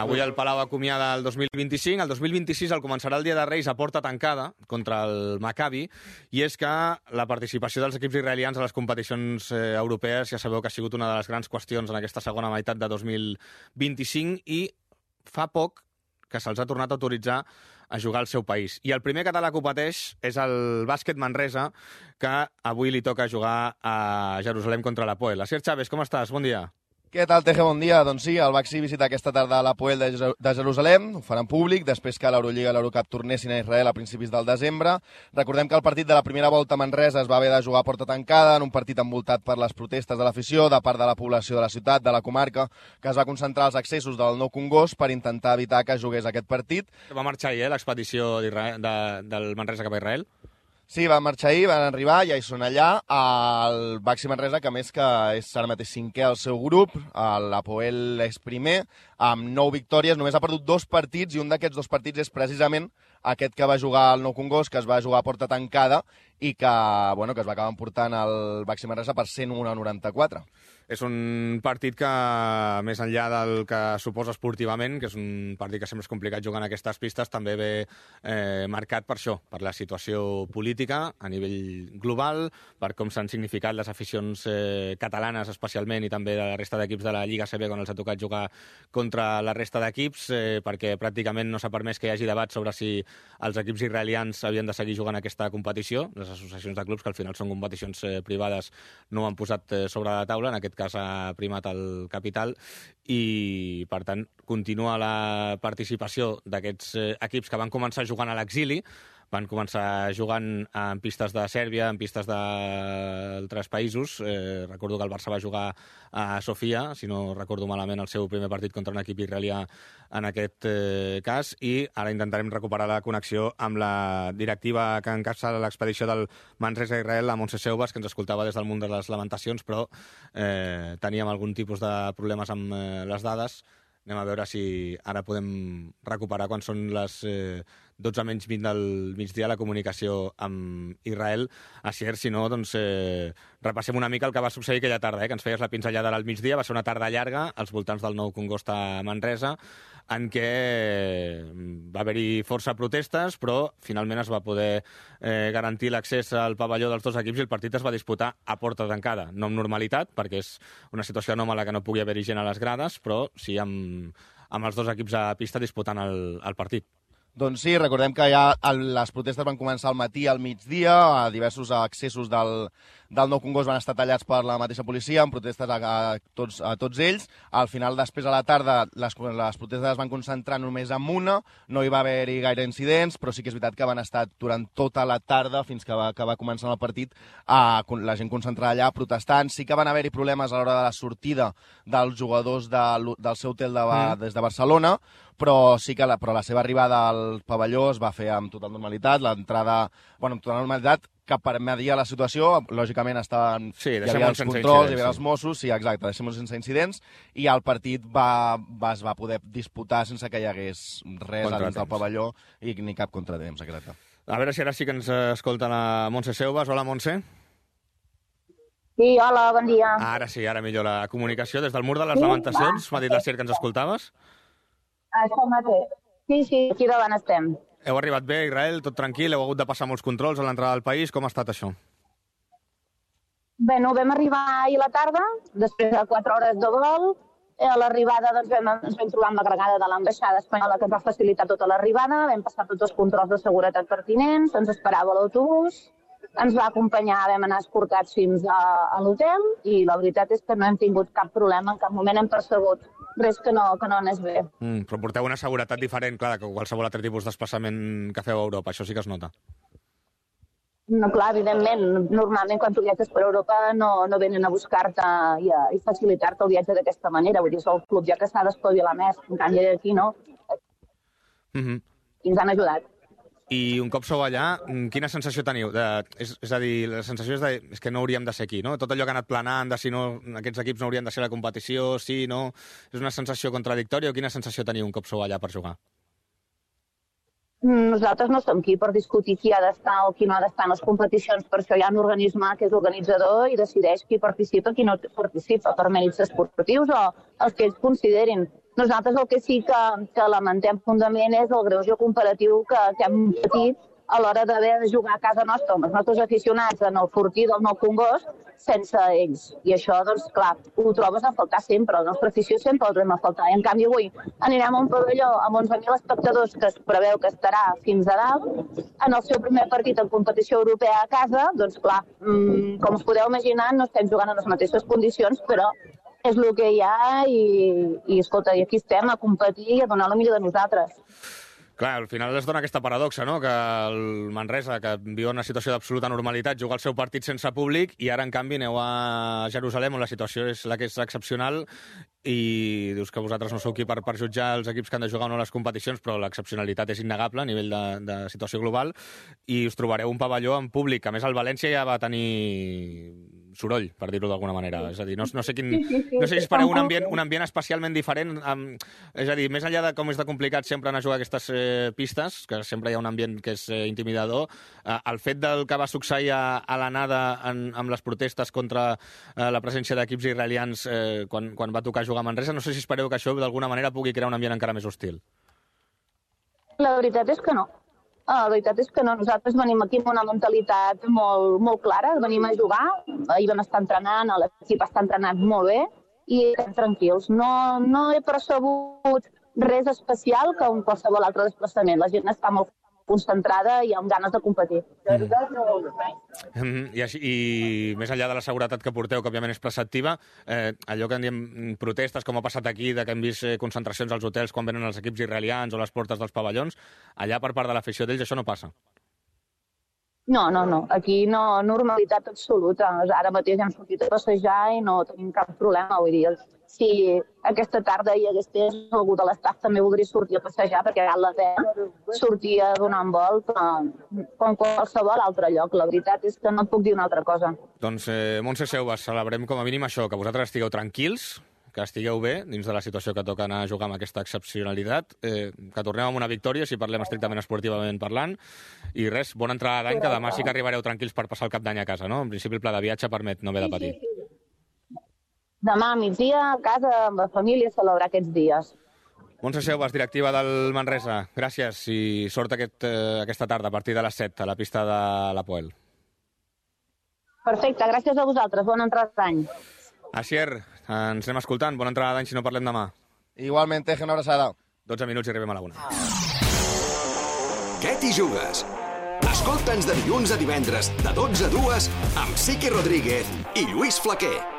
Avui el Palau acomiada el 2025, el 2026 el començarà el Dia de Reis a porta tancada contra el Maccabi, i és que la participació dels equips israelians a les competicions europees ja sabeu que ha sigut una de les grans qüestions en aquesta segona meitat de 2025 i fa poc que se'ls ha tornat a autoritzar a jugar al seu país. I el primer català que ho pateix és el Bàsquet Manresa, que avui li toca jugar a Jerusalem contra l'Hapoel. Asier Chávez, com estàs? Bon dia. Què tal, Teje? Bon dia. Doncs sí, el Baxi visita aquesta tarda l'Hapoel de Jerusalem, ho faran públic, després que l'Eurolliga i l'Eurocup tornessin a Israel a principis del desembre. Recordem que el partit de la primera volta a Manresa es va haver de jugar a porta tancada, en un partit envoltat per les protestes de l'afició, de part de la població de la ciutat, de la comarca, que es va concentrar als accessos del Nou Congost per intentar evitar que jugués aquest partit. Va marxar ahir, l'expedició del Manresa cap a Israel? Sí, van marxar ahir, van arribar, ja hi són allà. El Baxi Manresa, que a més que és ara mateix cinquè al seu grup, l'Hapoel és primer, amb 9 victòries, només ha perdut 2 partits, i un d'aquests 2 partits és precisament aquest que va jugar al Nou Congost, que es va jugar a porta tancada i que es va acabar emportant el Baxi Manresa per 101-94. És un partit que, més enllà del que suposa esportivament, que és un partit que sempre és complicat jugar en aquestes pistes, també ve marcat per això, per la situació política a nivell global, per com s'han significat les aficions catalanes especialment i també de la resta d'equips de la Lliga CB quan els ha tocat jugar contra la resta d'equips, perquè pràcticament no s'ha permès que hi hagi debat sobre si els equips israelians havien de seguir jugant aquesta competició. Les associacions de clubs, que al final són competicions privades, no ho han posat sobre la taula, en aquest cas ha primat el capital, i per tant continua la participació d'aquests equips que van començar jugant a l'exili. Van començar jugant en pistes de Sèrbia, en pistes d'altres països. Recordo que el Barça va jugar a Sofia, si no recordo malament, el seu primer partit contra un equip israelià en aquest cas, i ara intentarem recuperar la connexió amb la directiva que encapça l'expedició del Manresa a Israel, la Montse Seubas, que ens escoltava des del munt de les lamentacions, però teníem algun tipus de problemes amb les dades. Anem a veure si ara podem recuperar quan són les 12 menys 20 del migdia la comunicació amb Israel. Asier, si no, doncs repassem una mica el que va succeir aquella tarda, que ens feies la pinzellada al migdia. Va ser una tarda llarga als voltants del Nou Congost a Manresa, en què va haver-hi força protestes, però finalment es va poder garantir l'accés al pavelló dels dos equips i el partit es va disputar a porta tancada. No amb normalitat, perquè és una situació anòmala que no pugui haver-hi gent a les grades, però sí amb els dos equips a pista disputant el partit. Doncs sí, recordem que ja les protestes van començar al matí, al migdia, diversos accessos del Nou Congost van estar tallats per la mateixa policia, amb protestes a tots ells. Al final, després a la tarda, les protestes es van concentrar només en una, no hi va haver-hi gaire incidents, però sí que és veritat que van estar durant tota la tarda, fins que va començar el partit, la gent concentrada allà protestant. Sí que van haver-hi problemes a l'hora de la sortida dels jugadors del seu hotel des de Barcelona, però sí que la seva arribada al pavelló es va fer amb total normalitat, l'entrada, amb total normalitat, que permetia la situació, lògicament estaven... Sí, hi havia els controls, hi havia els Mossos, sí, exacte, deixem-ho sense incidents, i el partit es va poder disputar sense que hi hagués res a dins del pavelló i ni cap contratemps, exacte. A veure si ara sí que ens escolta la Montse Seubas. Hola, Montse. Sí, hola, bon dia. Ara sí, ara millor la comunicació. Des del mur de les lamentacions, m'ha dit la Sier que ens escoltaves. Això mateix. Sí, aquí davant estem. Heu arribat bé a Israel, tot tranquil? Heu hagut de passar molts controls a l'entrada del país? Com ha estat això? Bé, vam arribar ahir a la tarda, després de 4 hores de vol. A l'arribada ens vam trobar amb l'agregada de l'ambaixada espanyola que ens va facilitar tota l'arribada. Vam passar tots els controls de seguretat pertinents, ens esperava l'autobús, ens va acompanyar, vam anar escortats fins a l'hotel i la veritat és que no hem tingut cap problema, en cap moment hem percebut res que no anés bé. Però porteu una seguretat diferent, clar, que qualsevol altre tipus de desplaçament que feu a Europa, això sí que es nota. No, clar, evidentment, normalment quan tu viatges per Europa no venen a buscar-te i facilitar-te el viatge d'aquesta manera, vull dir, és el club ja que s'ha d'espavilar més, en canvi aquí no. I ens han ajudat. I un cop sou allà, quina sensació teniu? És a dir, la sensació és que no hauríem de ser aquí, no? Tot allò que ha anat planant de si no, aquests equips no haurien de ser a la competició, sí, no... És una sensació contradictòria o quina sensació teniu un cop sou allà per jugar? Nosaltres no som aquí per discutir qui ha d'estar o qui no ha d'estar en les competicions. Per això hi ha un organisme que és organitzador i decideix qui participa i qui no participa per mèrits esportius o els que ells considerin. Nosaltres el que sí que lamentem fundament és el greuge comparatiu que hem patit a l'hora d'haver de jugar a casa nostra amb els nostres aficionats en el Fortí del Nou Congost sense ells. I això, doncs, clar, ho trobes a faltar sempre. La nostra afició sempre el trobem a faltar. I, en canvi, avui anirem a un pavelló amb 11.000 espectadors que es preveu que estarà fins a dalt. En el seu primer partit en competició europea a casa, doncs, clar, com us podeu imaginar, no estem jugant en les mateixes condicions, però és el que hi ha i escolta, i aquí estem a competir i a donar la millor de nosaltres. Clar, al final es dona aquesta paradoxa, no?, que el Manresa, que viu una situació d'absoluta normalitat, juga el seu partit sense públic i ara, en canvi, aneu a Jerusalem, on la situació és la que és excepcional i dius que vosaltres no sou qui per jutjar els equips que han de jugar o no les competicions, però l'excepcionalitat és innegable a nivell de situació global i us trobareu un pavelló en públic. A més, el València ja va tenir soroll, per dir-ho d'alguna manera. És a dir, no sé si espereu un ambient especialment diferent. És a dir, més enllà de com és de complicat sempre anar a jugar a aquestes pistes, que sempre hi ha un ambient que és intimidador, el fet del que va succeir a l'anada amb les protestes contra la presència d'equips israelians quan va tocar jugar a Manresa, no sé si espereu que això d'alguna manera pugui crear un ambient encara més hostil. La veritat és que no. La veritat és que no. Nosaltres venim aquí amb una mentalitat molt, molt clara, venim a jugar, ahir vam estar entrenant, l'equip està entrenat molt bé i estem tranquils. No he percebut res especial que en qualsevol altre desplaçament. La gent està molt concentrada i amb ganes de competir. I més enllà de la seguretat que porteu, que òbviament és preceptiva, allò que en diem protestes, com ha passat aquí, de que hem vist concentracions als hotels quan venen els equips israelians o les portes dels pavellons, allà per part de l'afició d'ells això no passa? No. Aquí no, normalitat absoluta. Ara mateix hem sortit a passejar i no tenim cap problema. Vull dir, si aquesta tarda hi hagués algú de l'estaf també voldria sortir a passejar perquè a la 10 sortia a donar un volt com qualsevol altre lloc. La veritat és que no et puc dir una altra cosa. Doncs, Montse Seubas, celebrem com a mínim això, que vosaltres estigueu tranquils, que estigueu bé dins de la situació que toca anar a jugar amb aquesta excepcionalitat, que tornem amb una victòria, si parlem estrictament esportivament parlant, i res, bona entrada d'any, que demà sí que arribareu tranquils per passar el cap d'any a casa, no? En principi el pla de viatge permet no haver de patir. Sí. Demà a migdia a casa amb la família celebrar aquests dies. Montse Seubas, directiva del Manresa, gràcies i sort aquesta tarda a partir de les 7 a la pista de l'Apoel. Perfecte, gràcies a vosaltres, bona entrada d'any. Asier, ens anem escoltant. Bona entrada d'any si no parlem demà. Igualment, Teje, una abraçada. 12 minuts i arribem a la 1. Què t'hi jugues? Escolta'ns de dilluns a divendres, de 12 a 2, amb Sique Rodríguez i Lluís Flaquer.